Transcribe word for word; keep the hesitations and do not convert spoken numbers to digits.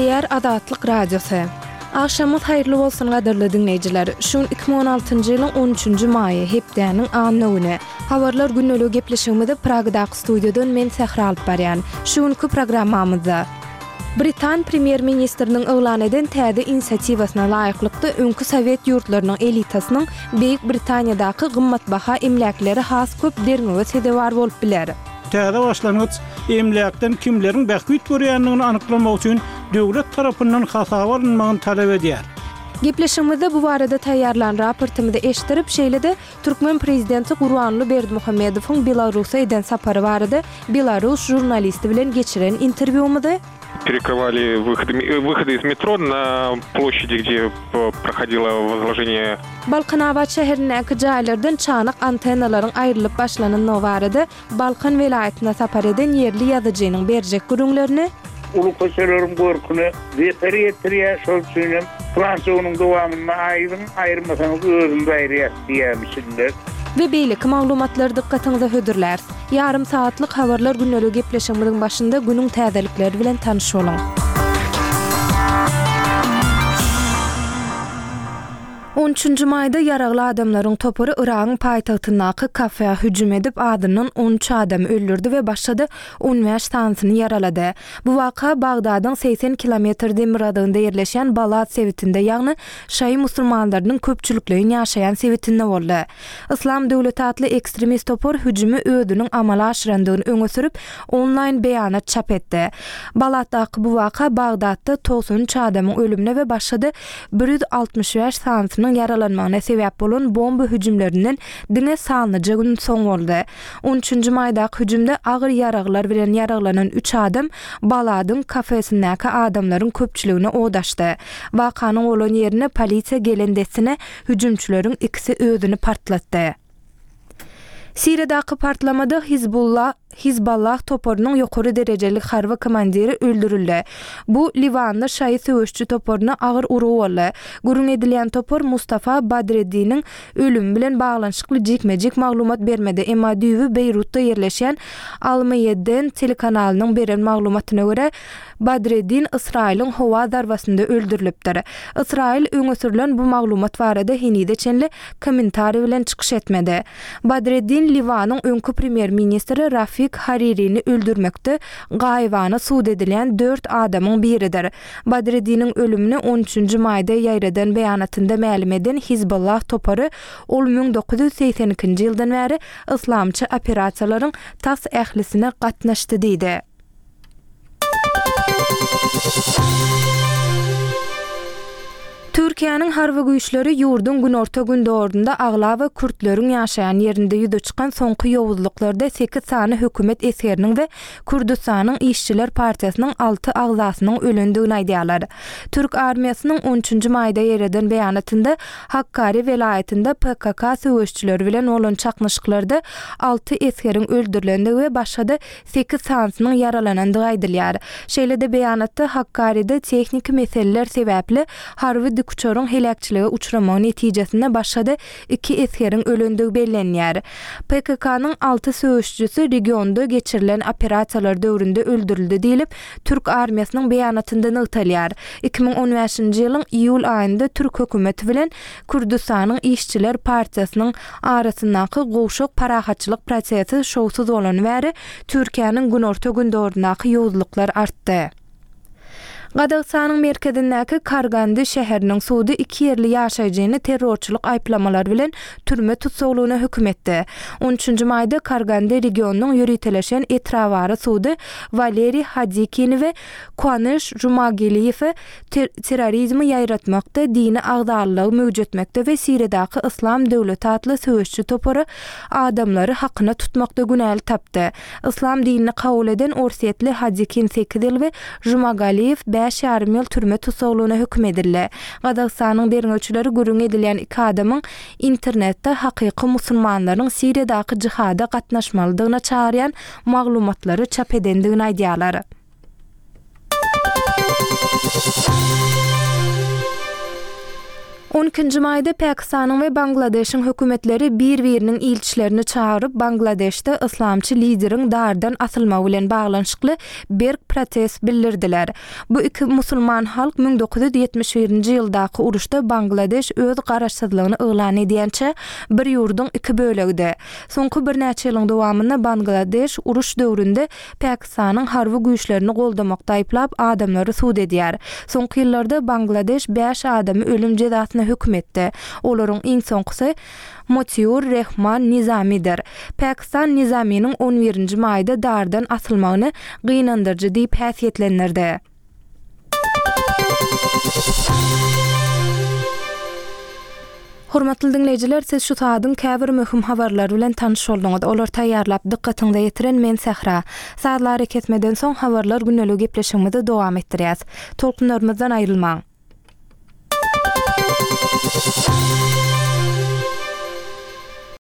Gepleýär Azatlyk Radiosy. Agşamyňyz haýyrly bolsun gadyrly diňleýjiler. Şu gün iki müň on altynjy ýylyň on üçünji maýy, hepdäniň anna güni. Habarlar gündeligi gepleşigimizi Pragadaky studiýadan men Sähra alyp barýan. Şu günki programmamyzda Britan premýer-ministriniň yglan eden täze inisiatiwasyna laýyklykda öňki sowet ýurtlarynyň elitasynyň Beýik Britaniýadaky gymmatbaha emläkleri has köp derňewe sezewar bolup biler. Täze başlangyç emläkden kimleriň bähbit görýändigini anyklamak üçin döwlet tarapyndan hasaba alynmagyny talap edýär. Gepleşigimizde bu barada taýýarlan raportymyzy eşitdirip, şeýle-de türkmen prezidenti Gurbanguly Berdimuhamedowyň Belarusa eden sapary barada belarus žurnalisti bilen geçiren interwýumyzy, Перекрывали выходы, выходы из метро на площади, где проходило возложение. Balkanabat şäherindäki jaýlardan çanak antennalaryň aýrylyp başlanandygy barada Balkan welaýatyna sapar eden ýerli ýazyjynyň berjek gürrüňlerini, Uly köçeleriň görküne zeper ýetirýär, şol üçin hem Fransiýa onuň dowamynda aýryň, aýyrmasaňyz özümiz aýyrýas diýýärmişinler. We beýleki maglumatlary dykgatyňyza hödürläris. Ýarym sagatlyk Habarlar gündeligi gepleşigimiziň başynda günüň täzelikleri bilen tanyş boluň. On üçünji maýda ýaragly adamlaryň topary Yragyň paýtagtyndaky kafeä hüjüm edip, azyndan on üç adamy öldürdi we başga-da on bäş sanysyny ýaralady. Bu waka Bagdadyň segsen kilometr demirgazygynda ýerleşýän Balad sebitinde, ýagny şaýy musulmanlarynyň köpçülikleýin ýaşaýan sebitinde boldy. Yslam döwleti atly ekstremist topar hüjümi özüniň amala aşyrandygyny öňe sürüp, onlaýn beýanat çap etdi. Baladdaky bu waka Bagdatda togsan üç adamyň ölümine we başga-da bir ýüz altmyş bäş sanysynyň ýaralanmagyna sebäp bolan bomba hüjümlerinden diňe sanlyja gün soň boldy. On üçünji maýdaky hüjümde agyr ýaraglar bilen ýaraglanan üç adam Baladyň kafesindäki adamlaryň köpçüligine od açdy. Wakanyň bolan ýerine polisiýa gelen dessine hüjümçileriň ikisi özüni partlatdy. Siriýadaky partlamada Hizbullah, Hizballah toparynyň ýokary derejeli harby komandiri öldürildi. Bu Liwanly şaýy söweşçi toparyna agyr urgy boldy. Gürrüň edilýän topar Mustafa Badreddiniň ölümi bilen baglanyşykly jikme-jik maglumat bermedi, emma düýbi Beýrutda ýerleşýän Al-Meýedden telekanalynyň beren maglumatyna görä, Badreddin Ysraýylyň howa zarbasynda öldürilipdir. Ysraýyl öňe sürlen bu maglumat barada henize çenli kommentariý bilen çykyş etmedi. Badreddin Liwanyň öňki premýer-ministri Rafik Haririni öldürmekde gaýybana sud edilýän dört adamyň biridir. Badreddiniň ölümini on üçünji maýda ýaýradan beýanatynda mälim eden Hizbullah topary ol müň dokuz ýüz segsen ikinji ýyldan bäri yslamçy operasiýalaryň tas ählisine gatnaşdy diýdi. Türkiýäniň harby güýçleri ýurduň günorta-gündogarynda aglaba kürtleriň ýaşaýan ýerinde ýüze çykan soňky ýowuzlyklarda sekiz sany hökümet esgeriniň we Kürdüstanyň işçiler partiýasynyň alty agzasynyň ölendigini aýdýarlar. Türk armiýasynyň on üçünji maýda ýereden beýanatynda Hakkari welaýatynda P K K söweşçileri bilen bolan çaknyşyklarda alty esgeriň öldürilendigi we başga-da sekiz sanysynyň ýaralanandygy aýdylýar. Şeýle-de beýanatda Hakkaride tehniki meseleler sebäpli harby dikuçaryň heläkçilige uçramagy netijesinde başga-da iki esgeriň ölendigi bellenýär. P K K-nyň alty söweşçisi regionda geçirilen operasiýalar döwründe öldürildi diýlip, Türk armiýasynyň beýanatynda nygtalýar. iki müň on bäşinji ýylyň iýul aýynda Türk hökümeti bilen Kürdüstanyň işçiler partiýasynyň arasyndaky gowşak parahatçylyk prosesi şowsuz bolany bäri Türkiýäniň günorta-gündogaryndaky ýowuzlyklar artdy. Gazagystanyň merkezindäki Kargandy şäheriniň sudy iki ýerli ýaşaýjyny terrorçylyk aýyplamalary bilen türme tussaglygyna höküm etdi. On üçünji maýda Kargandy regionynyň ýöriteleşen etrabary sudy Waleriý Hadikini we Kuanyş Jumageliýewi terrorizmi ýaýratmakda, dini agzalylygy möwjetmekde we Siriýadaky Yslam döwleti atly söweşçi topary adamlary hakyna tutmakda günäli tapdy. Yslam dinini kabul eden orsýetli Hadikin sekiz ýyl we Jumagaliýew bäş ýarym ýyl türme tussaglygyna höküm edildi. Gazagystanyň derňewçileri gürrüň edilýän iki adamyň internetde hakyky musulmanlaryň Siriýadaky jihada gatnaşmalydygyna çagyrýan maglumatlary çap edendigini aýdýarlar. On ikinji maýda Pakistanyň we Bangladeşiň hökümetleri bir-biriniň ilçilerini çagyryp, Bangladeşde yslamçy lideriň dardan asylmagy bilen baglanyşykly berk protest bildirdiler. Bu iki musulman halk müň dokuz ýüz ýetmiş birinji ýyldaky uruşda Bangladeş öz garaşsyzlygyny yglan edýänçä bir ýurduň iki bölegidi. Soňky birnäçe ýylyň dowamynda Bangladeş uruş döwründe Pakistanyň harby güýçlerini goldamakda aýyplap adamlary sud edýär. Soňky ýyllarda Bangladeş bäş adamy ölüm jezasyna höküm etdi. Olaryň iň soňkusy Motiur Rehman Nizamidir. Pakistan Nizaminiň on birinji maýda dardan asylmagyny gynandyryjy diýip häsiýetlendirdi. Hormatly diňleýjiler, siz şu saadyň käbir möhüm habarlary bilen tanyş bolduňyz. Olar taýýarlap dykgatyňyza ýetiren men Sähra. Sazlary kesmeden soň habarlar gündelik gepleşigimizi dowam etdirýäs. Tolkunlarymyzdan aýrylmaň.